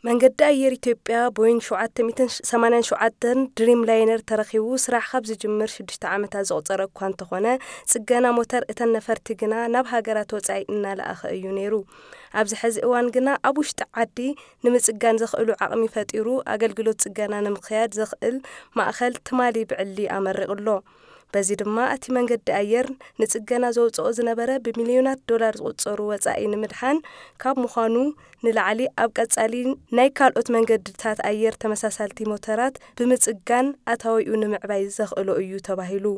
መንገዲ ኣየር ኢትዮጵያ ቦይንግ ሸውዓተ ሚእትን ሰማንያን ሸውዓተን ድሪም ላይነር ተረኺቡ ስራሕ ካብ ዝጅምር ሽዱሽተ ዓመታት ዘቑፀረ እኳ እንተኾነ፣ ፅገና ሞተር እተን ነፈርቲ ግና ናብ ሃገራት ወፃኢ እናለኣኸ እዩ ነይሩ። ኣብዚ ሕዚ እዋን ግና ኣብ ውሽጢ ዓዲ ንምፅጋን ዘኽእሉ ዓቕሚ ፈጢሩ ኣገልግሎት ፅገና ንምክያድ ዘኽእል ማእኸል ትማሊ ብዕሊ ኣመሪቑ ኣሎ። በዚ ድማ እቲ መንገዲ ኣየር ንፅገና ዘውፅኦ ዝነበረ ብሚልዮናት ዶላር ዝቑፀሩ ወፃኢ ንምድሓን ካብ ምዃኑ ንላዕሊ፣ ኣብ ቀፃሊ ናይ ካልኦት መንገድታት ኣየር ተመሳሳልቲ ሞተራት ብምፅጋን ኣታዊኡ ንምዕባይ ዘኽእሎ እዩ ተባሂሉ።